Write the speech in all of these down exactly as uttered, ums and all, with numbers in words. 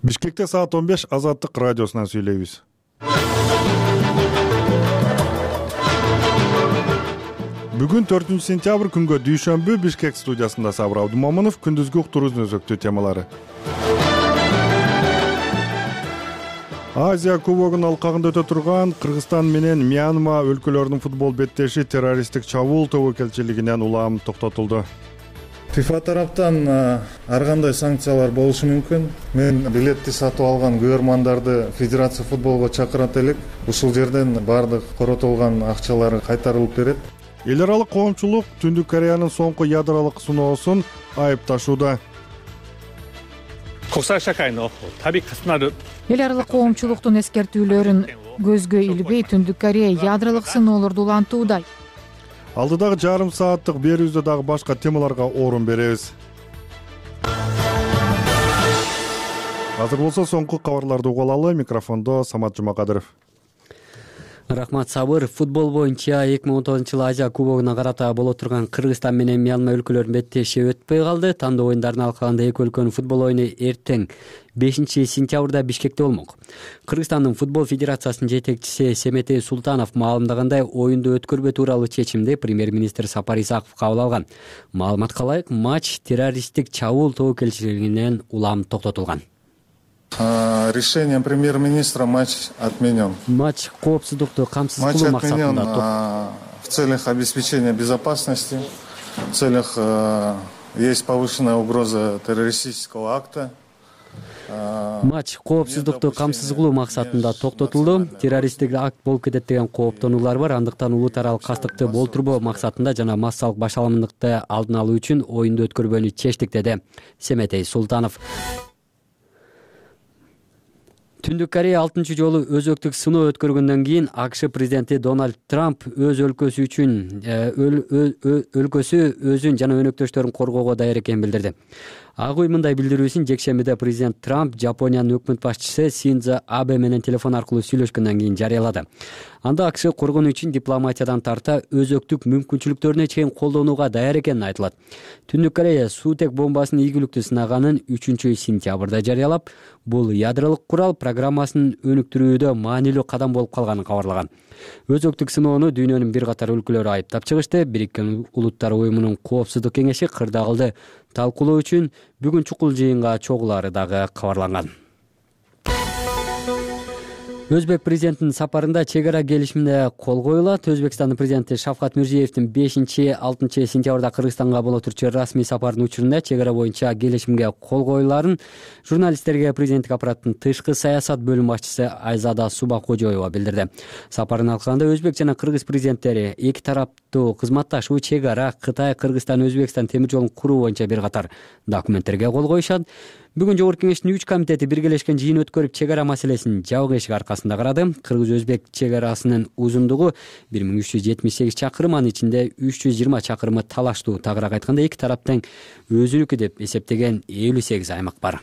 Бишкекте саат он беш Азаттык радиосунан сүйлөйбүз. Бүгүн төртүнчү сентябрь күнгө дүйшөмбү Бишкек студиясында Сабыр Абдумомунов күндүзгү уктуруунун өзөктүү темалары. Азия кубогунун алкагында өтө турган Кыргызстан менен Мьянма өлкөлөрүнүн футбол беттеши террористтик чабуул тобокелчилигинен улам токтотулду. ФИФА тараптан ар кандай санкциялар болушу мүмкүн. Мен билетти сатып алган көрөрмандарды Федерация футболго чакырат элек. Ушул жерден бардык коротулган акчалары кайтарылып берет. Эл аралык коомчулук Түндүк Кореянын соңку ядролук сыноосун айыпташууда. Эл аралык коомчулуктун эскертүүлөрүн көзгө илбей Түндүк Корея ядролук сыноолорду улантууда. Алдыдагы жарым сааттык берүүбүздө дагы башка темаларга орун беребиз. Азыр болсо соңку кабарларды угуп алалы. Микрофондо Самат Жумакадыров. Рахмат Сабыр. Футбол боюнча эки миң он тогузунчу жылы Азия кубогуна карата боло турган Кыргызстан менен Мьянма өлкөлөрүнүн беттеши өтпөй калды. Тандоо оюндарынын алкагында эки өлкөнүн футбол оюну эртең бешинчи сентябрда Бишкекте болмок. Кыргызстандын футбол федерациясынын жетекчиси Семетей Султанов маалымдагандай, оюнду өткөрбөө тууралуу чечимди премьер-министр Сапар Исаков кабыл алган. Маалыматка ылайык, матч террористтик чабуул тобокелчилигинен улам токтотулган. Решением премьер-министра матч отменен. Матч коопсуздукту камсыз кылуу максатында в целях обеспечения безопасности, в целях есть повышенная угроза террористического акта. Матч коопсуздукту камсыз кылуу максатында токтотулду. Террористтик акт болуп кетет деген кооптонуулар бар. Андыктан улут аралык кастыкты болтурбоо максатында жана массалык башаламындыкты алдын алуу үчүн оюнду өткөрбөнү чечтик, деди Семетей Султанов. Түндүк Корея алтынчы жолу өзөктүк сыноо өткөргөндөн кийин АКШ президенти Дональд Трамп өз өлкөсү үчүн өлкөсү өзүн жана өнөктөштөрүн коргоого даяр экенин билдирди. Ак үй мындай билдирүүсүн жекшембиде президент Трамп Жапониянын өкмөт башчысы Синдзо Абе менен телефон аркылуу сүйлөшкөндөн кийин жарыялады. Анда АКШ коргонуу үчүн дипломатиядан тарта өзөктүк мүмкүнчүлүктөрүнө чейин колдонууга даяр экенин айтылат. Түндүк Корея суутек бомбасын ийгиликтүү сынаганын үчүнчү сентябрда жарыялап, бул ядролук курал программасын өнүктүрүүдө маанилүү кадам болуп калганын кабарлаган. Өзөктүк сыноону дүйнөнүн бир катар өлкөлөрү айыптап чыгышты. Бириккен Улуттар уюмунун коопсуздук кеңеши кырдаалды талкуулоо үчүн бүгүн чукул жыйынга чогулаары дагы кабарланган. Өзбек президентинин сапарында чек ара келишимине кол коюлат. Өзбекстандын президенти Шавкат Мирзиевдин бешинчи алтынчы сентябрда Кыргызстанга боло турчу расмий сапарынын учурунда чек ара боюнча келишимге кол коюлаарын журналисттерге президенттик аппараттын тышкы саясат бөлүм башчысы Айзада Субакожоева билдирди. Сапарынын алкагында өзбек жана кыргыз президенттери эки тараптуу кызматташуу, чек ара, Кытай, Кыргызстан, Өзбекстан темир жолун куруу боюнча бир катар документтерге кол коюшат. Бүгүн Жогорку кеңештин үч комитети биргелешкен жыйын өткөрүп, чек ара маселесин жабык эшик аркасында карады. Кыргыз-өзбек чек арасынын узундугу бир миң үч жүз жетимиш сегиз чакырым, анын ичинде үч жүз жыйырма чакырымы талаштуу. Тагыраак айтканда, эки тараптын өзүнүкү деп эсептеген элүү сегиз аймак бар.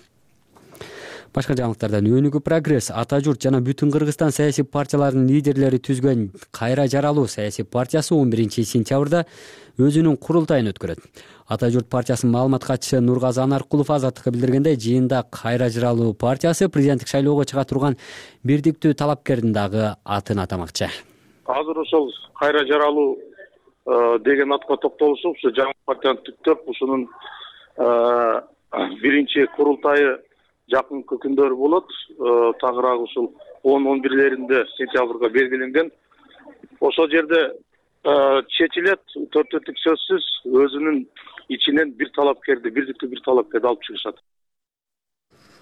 Башка жаңылыктардан Өнүгүү прогресс, Ата журт жана Бүтүн Кыргызстан саясий партияларынын лидерлери түзгөн Кайра жаралуу саясий партиясы он биринчи сентябрда өзүнүн курултайын өткөрөт. Ата журт партиясынын маалымат катчысы Нургазы Анаркулов Азаттыкка билдиргендей, жыйында Кайра жаралуу партиясы президенттик шайлоого чыга турган бирдиктүү талапкердин дагы атын атамакчы. Азыр ошол Кайра жаралуу деген атка токтолушуп, ушу жаңы партияны түптөп, ушунун биринчи курултайы жакынкы күндөрү болот. Тагыраак ушул он он бирлеринде сентябрга белгиленген. Ошол жерде чечилет, төртөттүк сөзсүз өзүнүн ичинен бир талапкерди, бирдиктүү бир талапкерди алып чыгышат.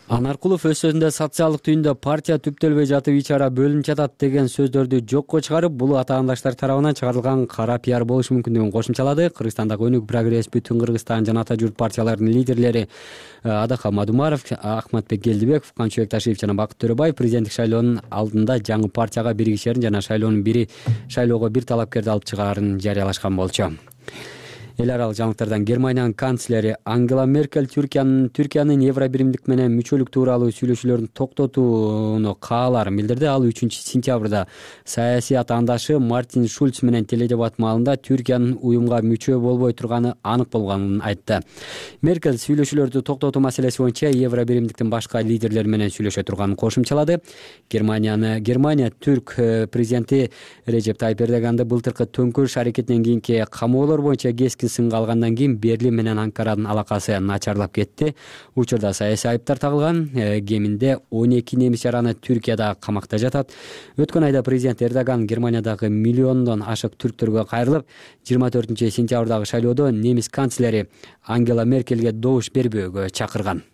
Анаркулов өз сөзүндө социалдык түйүндө партия түптөлбөй жатып ич ара бөлүнүп жатат деген сөздөрдү жокко чыгарып, бул атаандаштар тарабынан чыгарылган кара пиар болушу мүмкүндүгүн кошумчалады. Кыргызстандагы Өнүгүү прогресс, Бүтүн Кыргызстан жана Ата журт партияларынын лидерлери Адака Мадумаров, Ахматбек Келдибеков, Камчыбек Ташиев жана Бакыт Төрөбаев президенттик шайлоонун алдында жаңы партияга биригишерин жана шайлоонун бири шайлоого бир талапкерди алып чыгаарын жарыялашкан болчу. эл аралык жаңылыктардан Германиянын канцлери Ангела Меркель Түркиянын Түркиянын Евробиримдик менен мүчөлүк тууралуу сүйлөшүүлөрүн токтотууну кааларын билдирди. Ал үчүнчү сентябрда саясий атаандашы Мартин Шульц менен теледебат маалында Түркиянын уюмга мүчө болбой турганы анык болгонун айтты. Меркель сүйлөшүүлөрдү токтотуу маселеси боюнча Евробиримдиктин башка лидерлери менен сүйлөшө турганын кошумчалады. Германияны Германия түрк президенти Режеп Тайип Эрдоганды былтыркы төңкөрүш аракетинен кийинки камоолор боюнча кескин сынга алгандан кийин Берлин менен Анкаранын алакасы начарлап кетти. Учурда саясий айыптар тагылган. Кеминде он эки немис жараны Түркияда камакта жатат. Өткөн айда президент Эрдоган Германиядагы миллиондон ашык түрктөргө кайрылып, жыйырма төртүнчү сентябрдагы шайлоодо немис канцлери Ангела Меркельге добуш бербөөгө чакырган.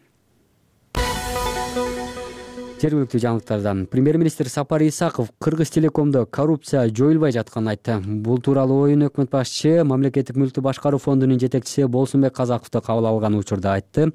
Жергиликтүү жаңылыктардан премьер-министр Сапар Исаков Кыргыз Телекомдо коррупция жоюлбай жатканын айтты. Бул тууралуу оюн өкмөт башчысы Мамлекеттик мүлктү башкаруу фондунун жетекчиси Болсунбек Казаковду кабыл алган учурда айтты.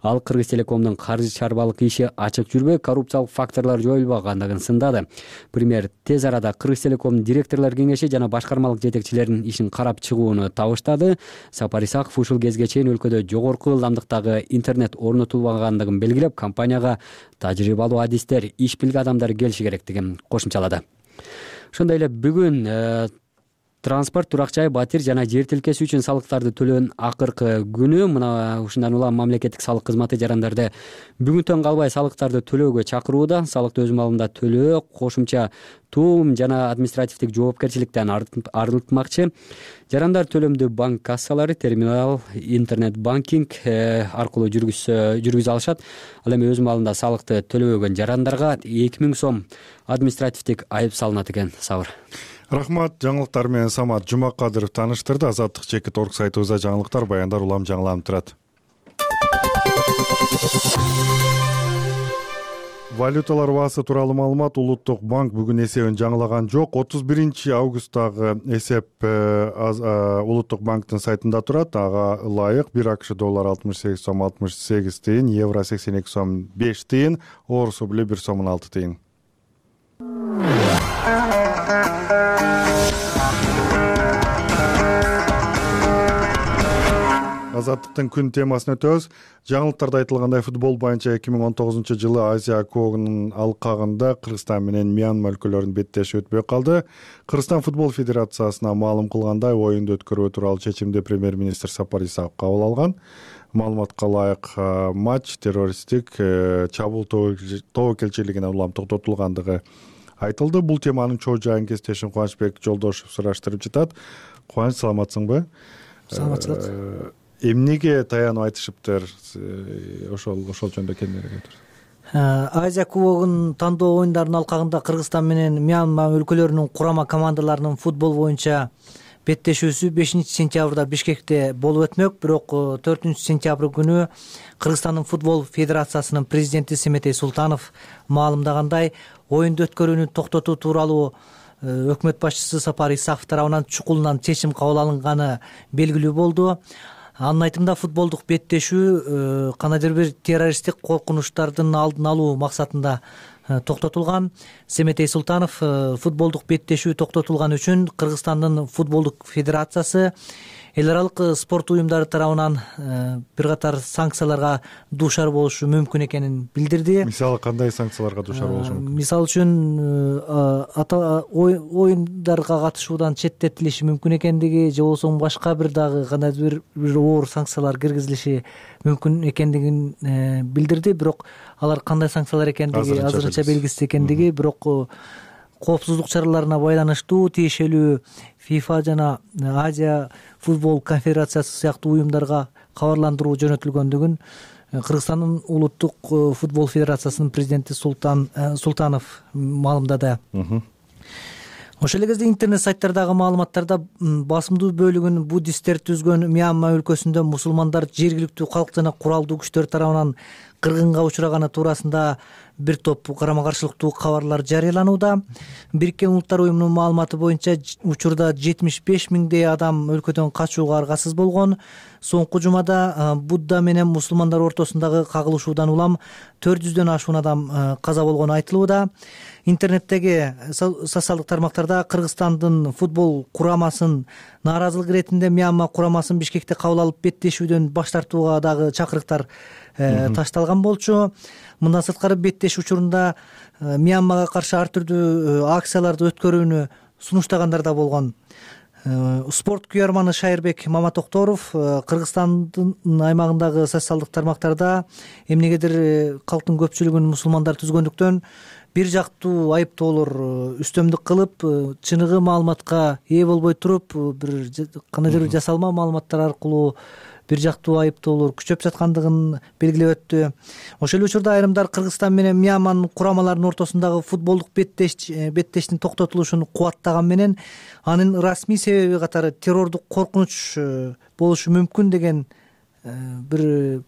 Ал Кыргыз Телекомдун каржы чарбалык иши ачык жүрбөй, коррупциялык факторлор жоюлбагандыгын сындады. Премьер тез арада Кыргыз Телекомдун директорлор кеңеши жана башкармалык жетекчилеринин ишин карап чыгууну табыштады. Сапар Исаков ушул кезге чейин өлкөдө жогорку ылдамдыктагы интернет орнотулбагандыгын белгилеп, компанияга тажрыйбалуу адистер, иш билген адамдар келиши керектигин кошумчалады. Ошондой эле бүгүн транспорт, турак жай, батир жана жер тилкеси үчүн салыктарды төлөөнүн акыркы күнү. Мына ушундан улам мамлекеттик салык кызматы жарандарды бүгүнтөн калбай салыктарды төлөөгө чакырууда. Салыкты өз маалында төлөө кошумча туум жана административдик жоопкерчиликтен арылтмакчы. Жарандар төлөмдү банк кассалары, терминал, интернет банкинг аркылуу жүргүзө алышат. Ал эми өз маалында салыкты төлөбөгөн жарандарга эки миң сом административдик айып салынат экен. Сабыр. Рахмат. Жаңылыктар менен Самат Жумакадыров тааныштырды. Азаттык чекит орг сайтыбызда жаңылыктар, баяндар улам жаңыланып турат. Валюталар баасы тууралуу маалымат. Улуттук банк бүгүн эсебин жаңылаган жок. отуз биринчи августтагы эсеп Улуттук банктын сайтында турат. Ага ылайык бир АКШ доллар алтымыш сегиз сом алтымыш сегиз тыйын, евро сексен эки сом беш тыйын, орус рубли бир сом он алты тыйын. Азаттыктын күн темасына өтөбүз. Жаңылыктарда айтылгандай, футбол боюнча эки миң он тогузунчу жылы Азия кубогунун алкагында Кыргызстан менен Мьянма өлкөлөрүнүн беттеши өтпөй калды. Кыргызстан футбол федерациясына маалым кылгандай, оюнду өткөрүү тууралуу чечимди премьер-министр Сапар Исаков кабыл алган. Маалыматка ылайык матч террористтик чабуул тобокелчилигине улам токтотулгандыгы айтылды. Бул теманын чоо жайын кесиптешим Кубанычбек Жолдошев сураштырып жатат. Кубаныч, саламатсыңбы? Саламатчылык. Эмнеге таянып айтышыптыр? Ошол ошол жөнүндө кеңири айтыңыз. Азия кубогунун тандоо оюндарынын алкагында Кыргызстан менен Мьянма өлкөлөрүнүн курама командаларынын футбол боюнча беттешүүсү бешинчи сентябрда Бишкекте болуп өтмөк. Бирок төртүнчү сентябрь күнү Кыргызстандын футбол федерациясынын президенти Семетей Султанов маалымдагандай, оюнду өткөрүүнү токтотуу тууралуу өкмөт башчысы Сапар Исаков тарабынан чукулунан чечим кабыл алынганы белгилүү болду. Анын айтымында, футболдук беттешүү кандайдыр бир террористтик коркунучтардын алдын алуу максатында токтотулган. Семетей Султанов футболдук беттешүү токтотулган үчүн Кыргызстандын футболдук федерациясы эл аралык спорт уюмдары тарабынан бир катар санкцияларга дуушар болушу мүмкүн экенин билдирди. Мисалы кандай санкцияларга дуушар болушу мүмкүн? Мисалы үчүн оюндарга катышуудан четтетилиши мүмкүн экендиги, же болбосо башка бир дагы кандайдыр бир оор санкциялар киргизилиши мүмкүн экендигин билдирди. Бирок алар кандай санкциялар экендиги азырынча белгисиз экендиги, бирок коопсуздук чараларына байланыштуу тиешелүү ФИФА жана Азия футбол конфедерациясы сыяктуу уюмдарга кабарландыруу жөнөтүлгөндүгүн Кыргызстандын улуттук футбол федерациясынын президенти Султан Султанов маалымдады. Ошол эле кезде интернет сайттардагы маалыматтарда басымдуу бөлүгүн буддисттер түзгөн Мьянма өлкөсүндө мусулмандар жергиликтүү калк жана куралдуу күчтөр тарабынан кыргынга учураганы туурасында бир топ карама каршылыктуу кабарлар жарыяланууда. Бириккен Улуттар уюмунун маалыматы боюнча учурда жетимиш беш миңдей адам өлкөдөн качууга аргасыз болгон. Соңку жумада Будда менен мусулмандар ортосундагы кагылышуудан улам төрт жүздөн ашуун адам каза болгону айтылууда. Интернеттеги социалдык тармактарда Кыргызстандын футбол курамасын нааразылык иретинде Мьянма курамасын Бишкекте кабыл алып беттешүүдөн баш тартууга дагы чакырыктар ташталган болчу. Мындан сырткары беттеш учурунда Мьянмага каршы ар түрдүү акцияларды өткөрүүнү сунуштагандар да болгон. Спорт күйөрманы Шайырбек Маматокторов Кыргызстандын аймагындагы социалдык тармактарда эмнегедир калктын көпчүлүгүн мусулмандар түзгөндүктөн бир жактуу айыптоолор үстөмдүк кылып, чыныгы маалыматка ээ болбой туруп, бир кандайдыр бир жасалма маалыматтар аркылуу бир жактуу айыптоолор күчөп жаткандыгын белгилеп өттү. Ошол эле учурда айрымдар Кыргызстан менен Мьянманын курамаларынын ортосундагы футболдук беттеш беттештин токтотулушун кубаттаган менен анын расмий себеби катары террордук коркунуч болушу мүмкүн деген бир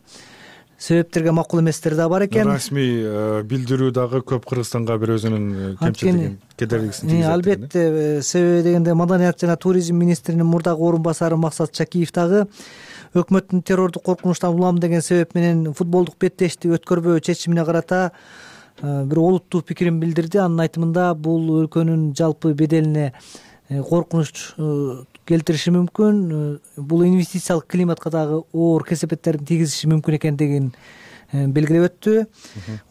себептерге макул эместер да бар экен. Расмий билдирүү дагы көп Кыргызстанга бир өзүнүн кемчилигин, кедергисин тийгизет. Албетте, себеби дегенде Маданият жана туризм министринин мурдагы орун басары Максат Чакиев дагы өкмөттүн террордук коркунучтан улам деген себеп менен футболдук беттешти өткөрбөө чечимине карата бир олуттуу пикирин билдирди. Анын айтымында бул өлкөнүн жалпы беделине коркунуч келтириши мүмкүн, бул инвестициялык климатка дагы оор кесепеттерин тийгизиши мүмкүн экендигин белгилеп өттү.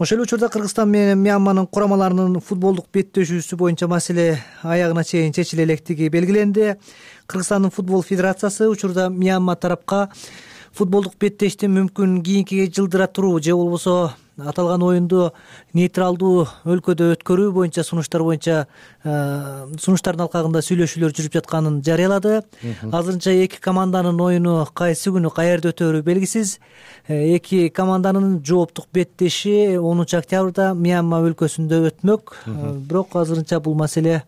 Ошол эле учурда Кыргызстан менен Мьянманын курамаларынын футболдук беттешүүсү боюнча маселе аягына чейин чечиле электиги белгиленди. Кыргызстандын футбол федерациясы учурда Мьянма тарапка футболдук беттешти мүмкүн кийинкиге жылдыра туруу же болбосо аталган оюнду нейтралдуу өлкөдө өткөрүү боюнча сунуштар боюнча сунуштардын алкагында сүйлөшүүлөр жүрүп жатканын жарыялады. Азырынча эки команданын оюну кайсы күнү каерде өтөөрү белгисиз. Эки команданын жооптук беттеши онунчу октябрда Мьянма өлкөсүндө өтмөк. Бирок азырынча бул маселе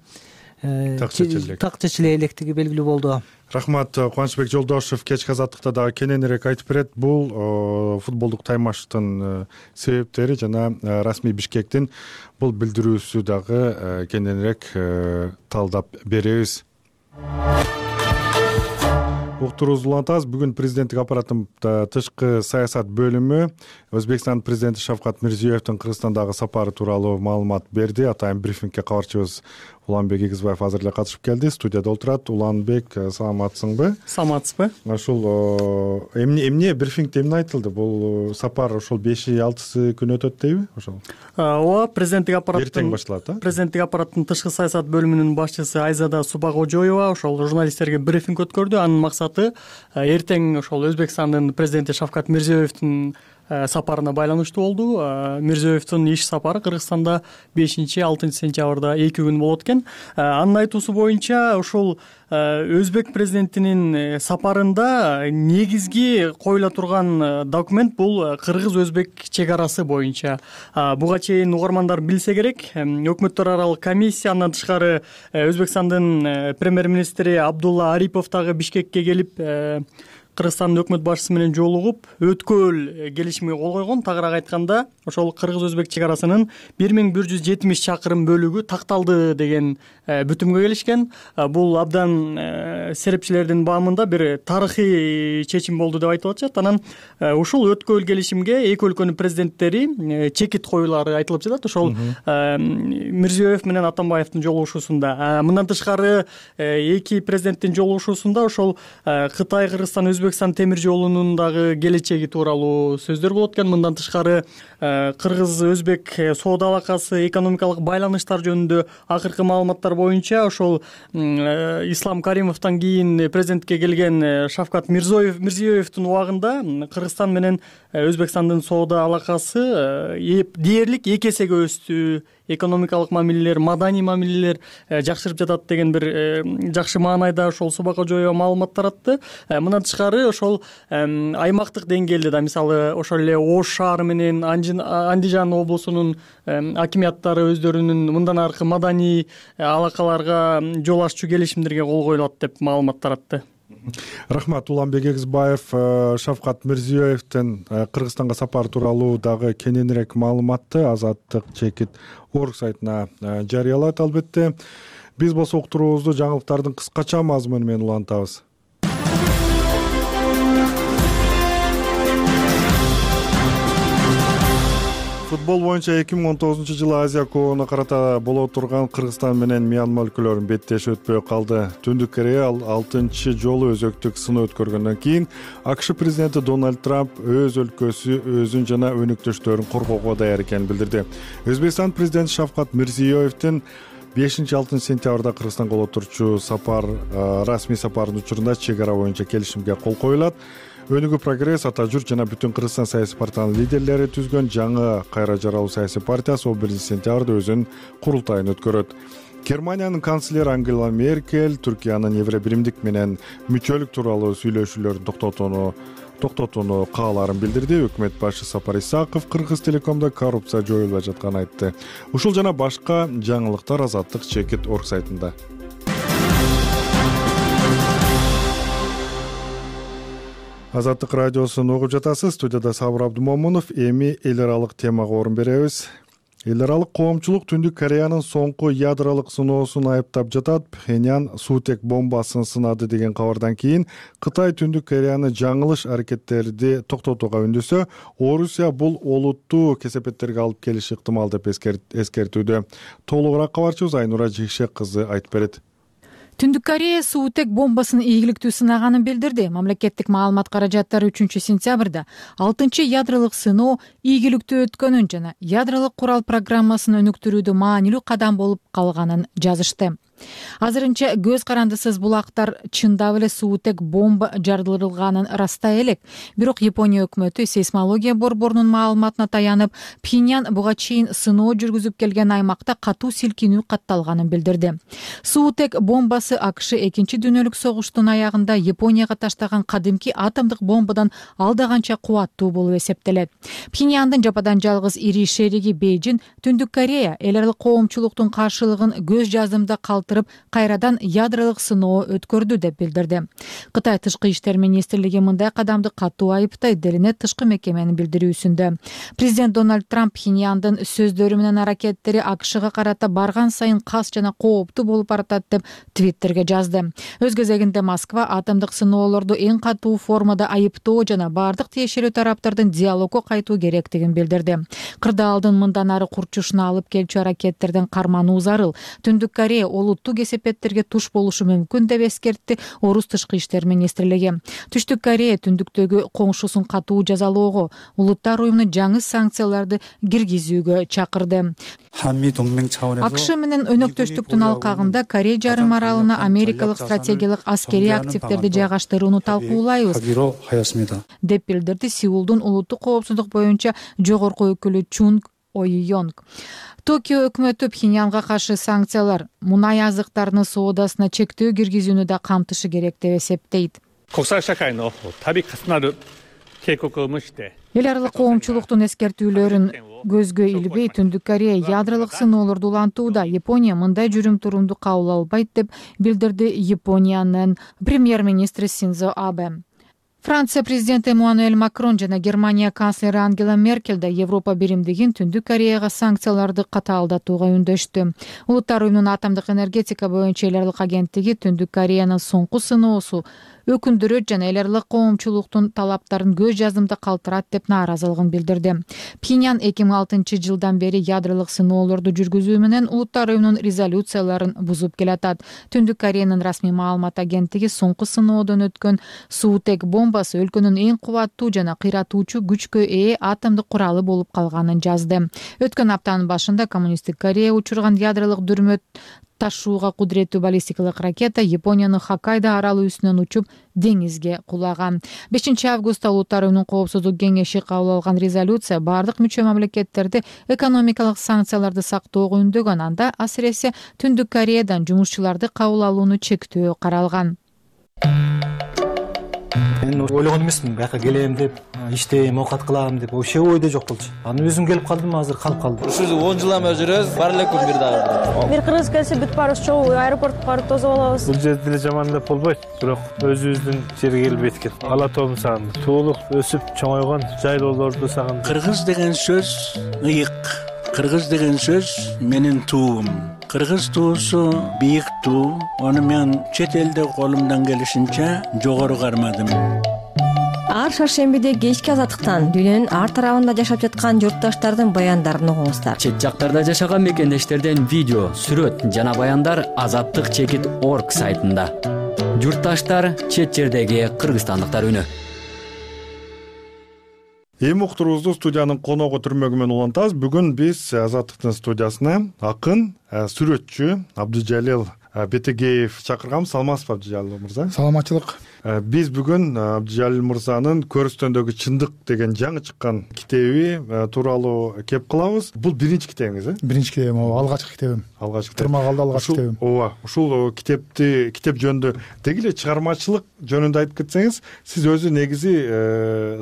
так чечиле электиги белгилүү болду. Рахмат. Кубанычбек Жолдошев кечки азаттыкта дагы кененирээк айтып берет. Бул футболдук таймаштын себептери жана расмий Бишкектин бул билдирүүсү дагы кененирээк талдап беребиз. Уктуруубузду улантабыз. Бүгүн президенттик аппараттын тышкы саясат бөлүмү Өзбекстан президенти Шавкат Мирзиёевдин Кыргызстандагы сапары тууралуу маалымат берди. Атайын брифингге кабарчыбыз Уланбек Игизбаев азыр эле катышып келди. Студияда отурат. Уланбек, саламатсыңбы? Саламатсызбы? Ошол эмне эмне брифингде эмне айтылды? Бул сапар ошол беши алтысы күн өтөт дейби? Ошол. Ооба, президенттик аппараттын эртең башталат, а? Президенттик аппараттын тышкы саясат бөлүмүнүн башчысы Айзада Субагожоева ошол журналисттерге брифинг өткөрдү. Анын максаты эртең ошол Өзбекстандын президенти Шавкат Мирзиёевдин сапарына байланыштуу болду. Мирзиёевдин иш сапары Кыргызстанда бешинчи алтынчы сентябрда эки күн болот экен. Анын айтуусу боюнча ошол Өзбек президентинин сапарында негизги коюла турган документ бул Кыргыз-Өзбек чек арасы боюнча. Буга чейин угармандар билсе керек, өкмөттөр аралык комиссия, андан тышкары Өзбекстандын премьер-министри Абдулла Арипов дагы Бишкекке келип Кыргызстандын өкмөт башчысы менен жолугуп өткөл келишимге кол койгон. Тагыраак айтканда, ошол Кыргыз-Өзбек чек арасынын бир миң бир жүз жетимиш чакырым бөлүгү такталды деген бүтүмгө келишкен. Бул абдан серепчилердин баамында бир тарыхый чечим болду деп айтылып атышат. Анан ушул өткөл келишимге эки өлкөнүн президенттери чекит коюлары айтылып жатат. Ошол Мирзиёев менен Атамбаевдин жолугушуусунда. Мындан тышкары эки президенттин жолугушуусунда ошол Кытай, Кыргызстан, Өзбекстан темир жолунун дагы келечеги тууралуу сөздөр болот экен. Мындан тышкары Кыргыз-Өзбек соода алакасы, экономикалык байланыштар жөнүндө акыркы маалыматтар боюнча ошол Ислам Каримовдон кийин президентке келген Шавкат Мирзиёевдин убагында Кыргызстан менен Өзбекстандын соода алакасы дээрлик эки эсеге өстү. Экономикалык мамилелер, маданий мамилелер жакшырып жатат деген бир жакшы маанайда ошол Субагожоева маалымат таратты. Мындан тышкары ошол аймактык деңгээлде да, мисалы ошол эле Ош шаары менен Андижан облусунун акимияттары өздөрүнүн мындан аркы маданий алакаларга жол аччу келишимдерге кол коюлат деп маалымат таратты. Рахмат. Уланбек Эгизбаев Шавкат Мирзиёевдин Кыргызстанга сапары тууралуу дагы кененирээк маалыматты Азаттык чекит орг сайтына жарыялайт. Албетте биз болсо уктуруубузду жаңылыктардын кыскача мазмуну менен улантабыз. Футбол боюнча эки миң он тогузунчу жылы Азия кубогуна карата боло турган Кыргызстан менен Мьянма өлкөлөрүнүн беттеши өтпөй калды. Түндүк Корея алтынчы жолу өзөктүк сыноо өткөргөндөн кийин АКШ президенти Дональд Трамп өз өлкөсү өзүн жана өнөктөштөрүн коргоого даяр экенин билдирди. Өзбекстан президенти Шавкат Мирзиёевдин бешинчи алтынчы сентябрда Кыргызстанга боло турчу сапар расмий сапарынын учурунда чек ара боюнча келишимге кол коюлат. Өнүгүү прогресс, Ата Журт жана Бүтүн Кыргызстан саясий партиянын лидерлери түзгөн жаңы кайра жаралуу саясий партиясы он биринчи сентябрда өзүнүн курултайын өткөрөт. Германиянын канцлери Ангела Меркель Түркиянын Евро биримдик менен мүчөлүк тууралуу сүйлөшүүлөрүн токтотууну токтотууну каалаарын билдирди. Өкмөт башчысы Сапар Исаков Кыргыз Телекомдо коррупция жоюлбай жатканын айтты. Ушул жана башка жаңылыктар Азаттык чекит орг сайтында. Азаттык радиосун угуп жатасыз. Студияда Сабыр Абдумомунов. Эми эл аралык темага орун беребиз. Эл аралык коомчулук Түндүк Кореянын соңку ядролук сыноосун айыптап жатат. Пхеньян суутек бомбасын сынады деген кабардан кийин Кытай Түндүк Кореяны жаңылыш аракеттерди токтотууга үндөсө, Орусия бул олуттуу кесепеттерге алып келиши ыктымал деп эскертүүдө. Толугураак кабарчыбыз Айнура Жекшек кызы айтып берет. Түндүк Корея суутек бомбасын ийгиликтүү сынаганын билдирди. Мамлекеттик маалымат каражаттары үчүнчү сентябрда алтынчы ядролук сыноо ийгиликтүү өткөнүн жана ядролук курал программасын өнүктүрүүдө маанилүү кадам болуп калганын жазышты. Азырынча көз карандысыз бул актар чындап эле суутек бомба жарылдырылганын растай элек. Бирок Япония өкмөтү сейсмология борборунун маалыматына таянып, Пхеньян буга чейин сыноо жүргүзүп келген аймакта катуу силкинүү катталганын билдирди. Суутек бомбасы АКШ экинчи дүйнөлүк согуштун аягында Японияга таштаган кадимки атомдук бомбадан алда канча кубаттуу болуп эсептелет. Пхеньяндын жападан жалгыз ири шериги Бейжин Түндүк Корея эл аралык коомчулуктун каршылыгын көз жазымда калтырып, кайрадан ядролук сыноо өткөрдү деп билдирди. Кытай тышкы иштер министрлиги мындай кадамды катуу айыптайт делинет тышкы мекеменин билдирүүсүндө. Президент Дональд Трамп Пхеньяндын сөздөрү менен аракеттери АКШга карата барган сайын кас жана кооптуу болуп баратат деп Твиттерге жазды. Өз кезегинде Москва атомдук сыноолорду эң катуу формада айыптоо жана бардык тиешелүү тараптардын диалогго кайтуу керектигин билдирди. Кырдаалдын мындан ары курчушуна алып келчү аракеттерден кармануу зарыл. Түндүк Корея олуттуу кесепеттерге туш болушу мүмкүн деп эскертти Орус тышкы иштер министрлиги. Түштүк Корея түндүктөгү коңшусун катуу жазалоого, улуттар уюмуна жаңы санкцияларды киргизүүгө чакырды. АКШ менен өнөктөштүктүн алкагында Корея жарым аралына америкалык стратегиялык аскерий активдерди жайгаштырууну талкуулайбыз деп билдирди Сеулдун улуттук коопсуздук боюнча жогорку өкүлү Чунг Ойюнг. Токио өкмөтү Пхеньянга каршы санкциялар мунай азыктарынын соодасына чектөө киргизүүнү да камтышы керек деп эсептейт. Эл аралык коомчулуктун эскертүүлөрүн көзгө илбей Түндүк Корея ядролук сыноолорду улантууда. Япония мындай жүрүм турумду кабыл албайт деп билдирди Япониянын премьер-министри Синдзо Абе. Франция президенти Эммануэль Макрон жана Германия канцлери Ангела Меркель да Европа биримдигин Түндүк Кореяга санкцияларды катаалдатууга үндөштү. Улуттар уюмунун атомдук энергетика боюнча эл аралык агенттиги Түндүк Кореянын соңку сыноосу өкүндүрөт жана эл аралык коомчулуктун талаптарын көз жазымда калтырат деп нааразылыгын билдирди. Пхеньян эки миң алтынчы жылдан бери ядролук сыноолорду жүргүзүү менен улуттар уюмунун резолюцияларын бузуп келатат. Түндүк Кореянын расмий маалымат агенттиги соңку сыноодон өткөн суутек бомбасы өлкөнүн эң кубаттуу жана кыйратуучу күчкө ээ атомдук куралы болуп калганын жазды. Өткөн аптанын башында коммунисттик Корея учурган ядролук дүрмөт ташууга кудуреттүү баллистикалык ракета Япониянын Хоккайдо аралы үстүнөн учуп деңизге кулаган. бешинчи августта улуттар уюмунун коопсуздук кеңеши кабыл алган резолюция бардык мүчө мамлекеттерди экономикалык санкцияларды сактоого үндөгөн. Анда асыресе Түндүк Кореядан жумушчуларды кабыл алууну чектөө каралган. Мен ойлогон эмесмин бияка келем деп, иштейм, оокат кылам деп, вообще ойдо жок болчу. Анан өзүм келип калдым, азыр калып калдым. Ушул он жылдан бери жүрөбүз, бар элек күн бир дагы. Бир кыргыз келсе бүт баарыбыз чогуу аэропортко барып тосуп алабыз. Бул жерде деле жаман деп болбойт, бирок өзүбүздүн жерге келип эткен. Ала тоомду сагындым. Туулук өсүп чоңойгон жайлоолорду сагындым. Кыргыз деген сөз ыйык. Кыргыз деген сөз менин туум. Кыргыз туусу бийик туу. Аны мен чет элде колумдан келишинче жогору кармадым. Ар шаршембиде кечки азаттыктан дүйнөнүн ар тарабында жашап жаткан журтташтардын баяндарын угуңуздар. Чет жактарда жашаган мекендештерден видео, сүрөт жана баяндар азаттык чекит точка орг сайтында. Журтташтар, чет жердеги кыргызстандыктар үнү. Эми уктуруубузду студиянын коногу түрмөгү менен улантабыз. Бүгүн биз Азаттыктын студиясына акын, сүрөтчү Абдыжалил Бетегеев чакырганбыз. Саламатсызбы Абдыжалил мырза? Саламатчылык. Биз бүгүн Абдыжалил мырзанын Көрүстөндөгү чындык деген жаңы чыккан китеби тууралуу кеп кылабыз. Бул биринчи китебиңиз, э? Биринчи китебим, ооба, алгачкы китебим. Алгачкы. Тырмак алды алгачкы китебим. Ооба, ушул китепти, китеп жөнүндө деги эле чыгармачылык жөнүндө айтып кетсеңиз, сиз өзү негизи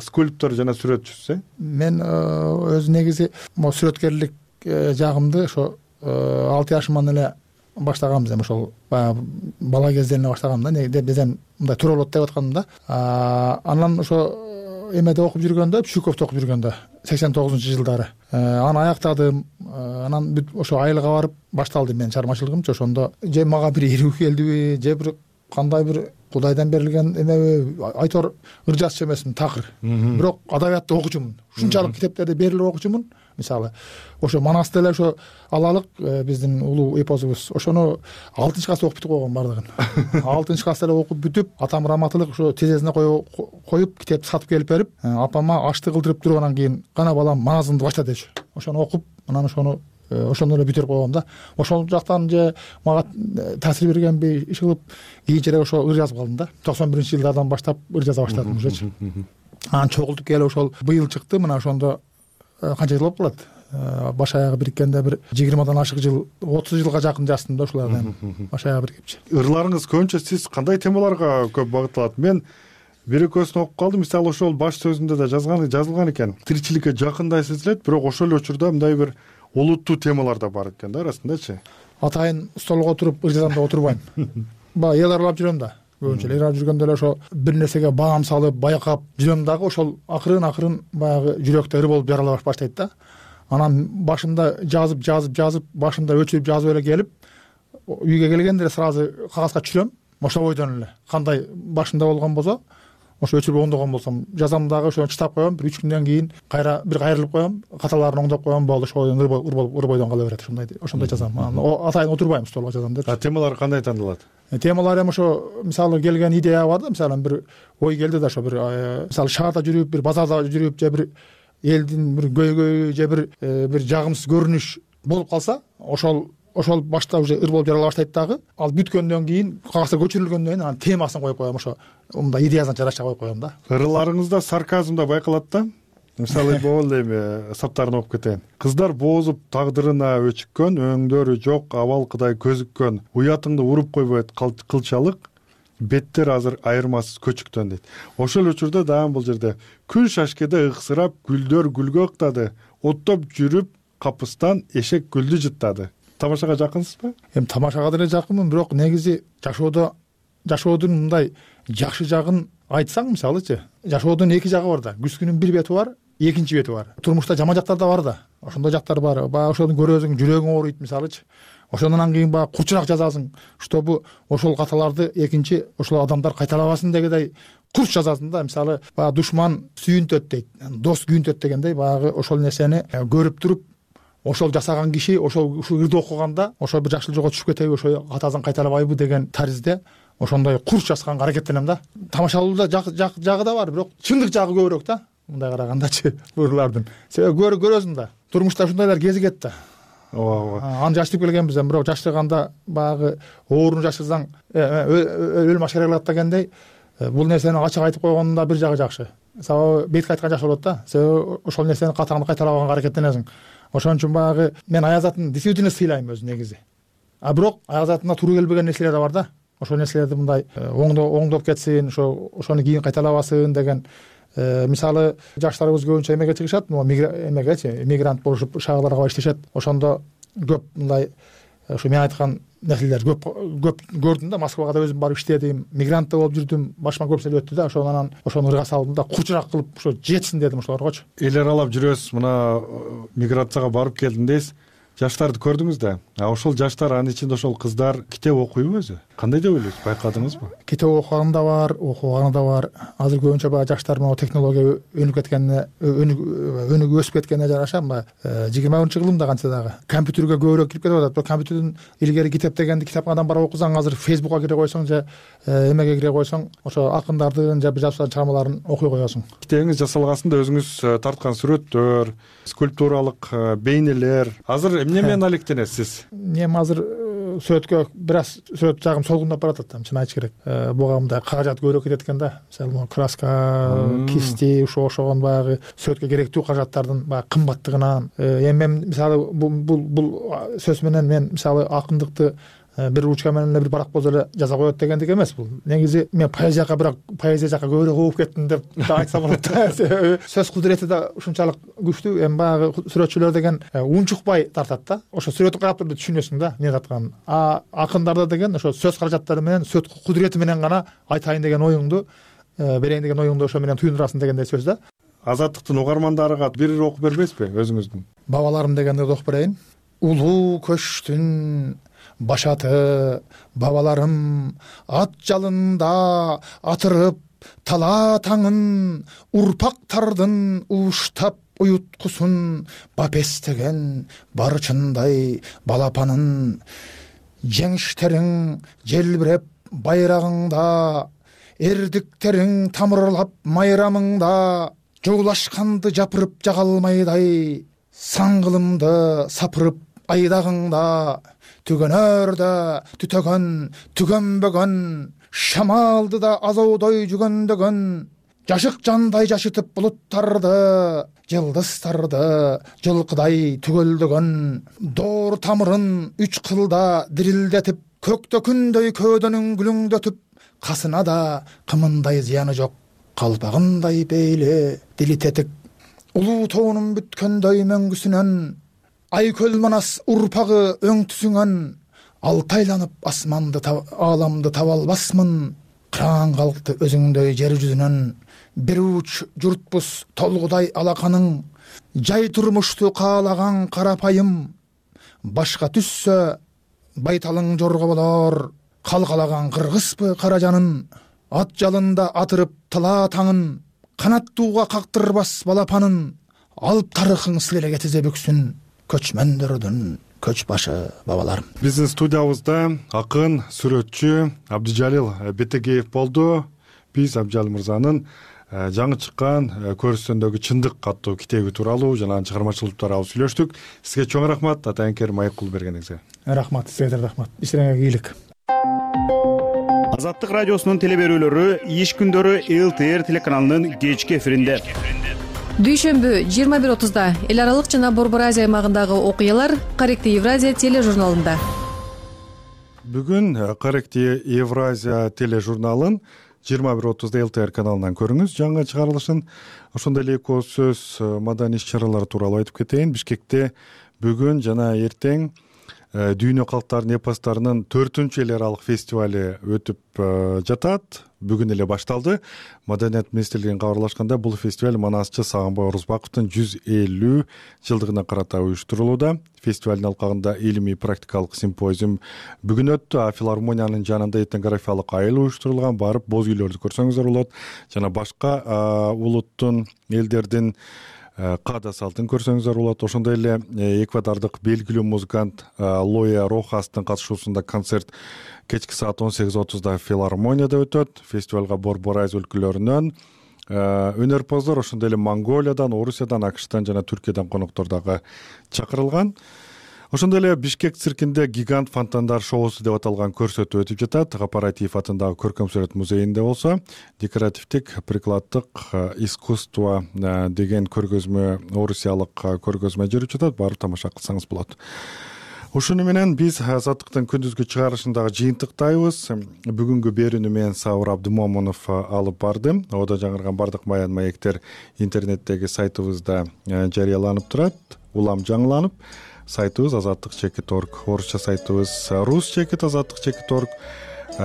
скульптор жана сүрөтчүсүз, э? Мен өзү негизи могу сүрөткерлик жагымды ошо алты жашыман эле баштаганбыз, эми ошол баягы бала кезден эле баштагам да. Деп бизден мындай туура болот деп аткандым да. Анан ошо эмеде окуп жүргөндө, Пшуковдо окуп жүргөндө сексен тогузунчу жылдары аны аяктадым. Анан бүт ошо айылга барып башталды менин чыгармачылыгымчы. Ошондо же мага бир ирүү келдиби, же бир кандай бир Кудайдан берилген эмеби, айтор ыржасчы эмесмин, такыр. Бирок адабиятты окучумун. Ушунчалык китептерди берилип окучумун. Мисалы, ошо Манасты эле ошо алалык, биздин улуу эпосубуз. Ошону алтынчы класста окуп бүтүп койгон бардыгын. алтынчы класста эле окуп бүтүп, атам раматылык ошо тизесине коюп, китепти сатып келип берип, апама ашты кылдырып тургандан кийин гана балам маназыңды башла дечү. Ошону окуп, анан ошону ошондо эле бүтүрүп койгом да. Ошол жактан же мага таасир бергенби, иш кылып, кийинчерээк ошо ыр жазып калдым да. токсон биринчи жылдардан баштап ыр жаза баштадым ушечи. Анан чогултуп келип ошол быйыл чыкты. Мына ошондо канча жыл болуп калат? Баш аягы бириккенде бир жыйырмадан ашык жыл, отуз жылга жакын жаздым да ушулардан. Баш аягы бирикипчи. Ырларыңыз көбүнчө сиз кандай темаларга көп багытталат? Мен бир экөөсүн окуп калдым. Мисалы, ошол баш сөзүндө да жазган, жазылган экен. Тиричиликке жакындай сезилет, бирок ошол эле учурда мындай бир олуттуу темалар да бар экен да арасындачы. Атайын столго отуруп ыр жазам деп отурбайм. Баягы эл аралап жүрөм да. Көбүнчө эл аралап жүргөндө эле ошо бир нерсеге баам салып, байкап жүрөм дагы, ошол акырын акырын баягы жүрөктө ыр болуп жарала баштайт да. Анан башымда жазып, жазып, жазып, башымда өчүрүп жазып эле келип, үйгө келгенде эле сразу кагазга түшүрөм. Ошо бойдон эле кандай башымда болгон болсо, ошо өчүрүп оңдогон болсом, жазам дагы, ошону чытап коем. Бир үч күндөн кийин кайра бир кайрылып коем, каталарын оңдоп коем, болду. Ошо ыр болуп, ыр бойдон кала берет. Ошондой, ошондой жазам. Атайын отурбайм, столго жазам деп. А темалар кандай тандалат? Темалар эми ошо, мисалы, келген идея бар да, мисалы бир ой келди да, ошо бир мисалы шаарда жүрүп, бир базарда жүрүп, же бир элдин бир көйгөйү, же бир бир жагымсыз көрүнүш болуп калса, ошол ошол башта уже ыр болуп жарала баштайт дагы. Ал бүткөндөн кийин, кагазга көчүрүлгөндөн кийин анан темасын коюп коем, ошо мындай идеясына жараша коюп коем да. Ырларыңызда сарказм да байкалат да. Мисалы, могул эми саптарын окуп кетейин. Кыздар боозуп тагдырына өчүккөн, өңдөрү жок, абалкыдай көзүккөн, уятыңды уруп койбойт кылчалык, беттер азыр айырмасыз көчүктөн дейт. Ошол учурда дагы бул жерде күн шашкеде ыксырап, гүлдөр гүлгө ыктады, оттоп жүрүп капыстан эшек гүлдү жыттады. Тамашага жакынсызбы? Эми тамашага деле жакынмын, бирок негизи жашоодо жашоодун мындай жакшы жагын айтсаң, мисалычы, жашоодун эки жагы бар да. Күзгүнүн бир бети бар, экинчи бети бар. Турмушта жаман жактар да бар да. Ошондой жактар бар. Баягы ошону көрөсүң, жүрөгүң ооруйт, мисалычы. Ошондон кийин баягы курчураак жазасың, чтобы ошол каталарды экинчи ошол адамдар кайталабасын дегендей курч жазасың да. Мисалы, баягы душман сүйүнтөт дейт, дос күйүнтөт дегендей, баягы ошол нерсени көрүп туруп, ошол жасаган киши ошол ушул ырды окуганда ошол бир жакшы жолго түшүп кетеби, ошо катасын кайталабайбы деген таризде ошондой курч жазганга аракеттенем да. Тамашалууда жагы да бар, бирок чындык жагы көбүрөөк да. Мындай карагандачы ырлардын. Себеби көрөсүң да. Турмушта ушундайлар кезигет да. Ооба. Аны жаштырып келгенбиз, бирок жаштырганда баягы ооруну жаштырсаң өлүм ашкара кылат дегендей, бул нерсени ачык айтып койгондо бир жагы жакшы. Сабабы бетке айткан жакшы болот да. Себеби ошол нерсени катаңды кайталабаганга аракеттенесиң. Ошон үчүн баягы мен Аязатын действительно сыйлайм өзү негизи. А бирок Аязатында туура келбеген нерселер да бар да. ошол нерселерди мындай оңдоп кетсин, ошо ошону кийин кайталабасын деген. Мисалы жаштарыбыз көбүнчө эмеге чыгышат, эмегечи мигрант болушуп шаарга иштешет. Ошондо көп мындай ушу мен айткан нерселер көп көп көрдүм да. Москвага да өзүм барып иштедим, мигрант да болуп жүрдүм, башыма көп нерсе өттү да. Ошону анан ошону ырга салдым да, курчураак кылып ошо жетсин дедим ошолоргочу. Эл аралап жүрөсүз, мына миграцияга барып келдим дейсиз. Жаштарды көрдүңүз да. А ошол жаштар, анын ичинде ошол кыздар китеп окуйбу өзү? Кандай деп ойлойсуз? Байкадыңызбы? Китеп окуган да бар, окубаганы да бар. Азыр көбүнчө баягы жаштар могу технология өнүгүп кеткенине, өнүгүп өсүп кеткенине жараша мына жыйырма биринчи кылымда канча дагы компьютерге көбүрөөк кирип кетип атат. Бирок компьютерден илгери китеп дегенди китапканадан барып окусаң, азыр Facebookка кире койсоң же эмеге кире койсоң, ошо акындардын же бир жазуучулардын чыгармаларын окуй коесуң. Китебиңиз жасалгасында өзүңүз тарткан сүрөттөр, скульптуралык бейнелер. Азыр эмне менен алектенесиз? Мен азыр сүрөткө бир аз сүрөт жагым солгундап баратат да, чын айтыш керек. Буга мындай каражат көбүрөөк кетет экен да. Мисалы краска, кисти, ошо ошогон баягы сүрөткө керектүү каражаттардын баягы кымбаттыгынан. Эми мен мисалы бул бул сөз менен мен мисалы акындыкты бир ручка менен эле бир барак болсо эле жаза коет дегендик эмес бул. Негизи мен поэзияга бирок поэзия жака көбүрөөк угуп кеттим деп айтсам болот да. Сөз кудурети да ушунчалык күчтүү. Эми баягы сүрөтчүлөр деген унчукпай тартат да. Ошо сүрөттү карап туруп түшүнөсүң да эмне атканын. А акындарда деген ошо сөз каражаттары менен, сөз кудурети менен гана айтайын деген оюңду, берейин деген оюңду ошо менен түйүндүрасың дегендей сөз да. Азаттыктын угармандарыга бир окуп бербейсизби өзүңүздүн? Бабаларым дегенди окуп берейин. Улуу көчтүн башаты бабаларым ат жалында атырып тала таңын, урпактардын уштап уюткусун, бапестеген барчындай балапанын. Жеңиштериң желбиреп байрагыңда, эрдиктериң тамырлап майрамыңда, жоолашканды жапырып жагалмайдай, саңгылымды сапырып айдагыңда, түгөнөрдө түтөгөн түгөнбөгөн, шамалды да азоодой жүгөндөгөн, жашык жандай жашытып булуттарды, жылдыздарды жылкыдай түгөлдөгөн, доор тамырын үч кылда дирилдетип, көктө күндөй көөдөнүн гүлүңдөтүп, касына да кымындай зыяны жок, калпагындай бейли дили тетик. Улуу тоонун бүткөндөй мөңгүсүнөн, айкөл манас урпагы өңтүсүңөн, алтайланып асманды ааламды таба албасмын, кыраан калкты өзүңдөй жер жүзүнөн. Бир уч журтпуз толгудай алаканың, жай турмушту каалаган карапайым, башка түссө байталың жорго болор, калкалаган кыргызбы кара жанын. Ат жалында атырып тала таңын, канаттууга кактырбас балапанын, алып тарыхың силере кетизе бүксүн, көчмөндөрдүн көч башы бабаларым. Биздин студиябызда акын, сүрөтчү Абдыжалил Бетегеев болду. Биз Абдыжалил мырзанын жаңы чыккан көрүстөндөгү чындык аттуу китеби тууралуу жана анын чыгармачылыгы тууралуу сүйлөштүк. Сизге чоң рахмат атайынкер маек кылып бергениңизге. Рахмат, сизге да рахмат. Иштериңерге ийгилик. Азаттык радиосунун теле берүүлөрү иш күндөрү эл тэ эр телеканалынын кечки эфиринде. Дүйшөмбү жыйырма бир отузда эл аралык жана Борбор Азия аймагындагы окуялар Корректи Евразия тележурналында. Бүгүн Корректи Евразия тележурналын жыйырма бир отузда эл тэ эр каналынан көрүңүз жаңы чыгарылышын. Ошондой эле эки ооз сөз маданий иш-чаралар тууралуу айтып кетейин. Бишкекте бүгүн жана эртең Дүйнө калктарынын эпостарынын төртүнчү эл аралык фестивали өтүп жатат. Бүгүн эле башталды. Маданият министрлигинин кабарлашканда бул фестиваль манасчы Сагынбай Орузбаковдун жүз элүү жылдыгына карата уюштурулууда. Фестивалдын алкагында илимий практикалык симпозиум бүгүн өттү. А филармониянын жанында этнографиялык айыл уюштурулган. Барып боз үйлөрдү көрсөңүздөр болот. Жана башка улуттун, элдердин каада салтын көрсөңүздөр болот. Ошондой эле эквадордук белгилүү музыкант Лоя Рохастын катышуусунда концерт кечки саат он сегиз отузда филармонияда өтөт. Фестивалга Борбор Азия өлкөлөрүнөн өнөрпоздор, ошондой эле Монголиядан, Орусиядан, АКШтан жана Түркиядан коноктор дагы чакырылган. Ошондой эле Бишкек циркинде гигант фонтандар шоусу деп аталган көрсөтүү өтүп жатат. Гапаратиев атындагы көркөм сүрөт музейинде болсо, декоративдик прикладдык искусство деген көргөзмө, орусиялык көргөзмө жүрүп жатат. Барып тамаша кылсаңыз болот. ушуну менен биз азаттыктын күндүзгү чыгарылышындагы жыйынтыктайбыз. Бүгүнкү берүүнү мен Сабыр Абдымомунов алып бардым. Ода жаңырган бардык баян маектер интернеттеги сайтыбызда жарыяланып турат. Улам жаңыланып сайтыбыз азаттык чекит орг, орусча сайтыбыз рус чекит азаттык чекит орг.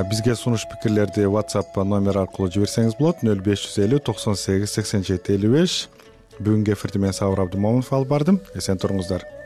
Бизге сунуш пикирлерди WhatsApp номер аркылуу жиберсеңиз болот. нөл беш жүз элүү токсон сегиз сексен жети элүү беш. Бүгүнкү эфирди мен Сабыр Абдымомунов алып бардым. Эсен туруңуздар.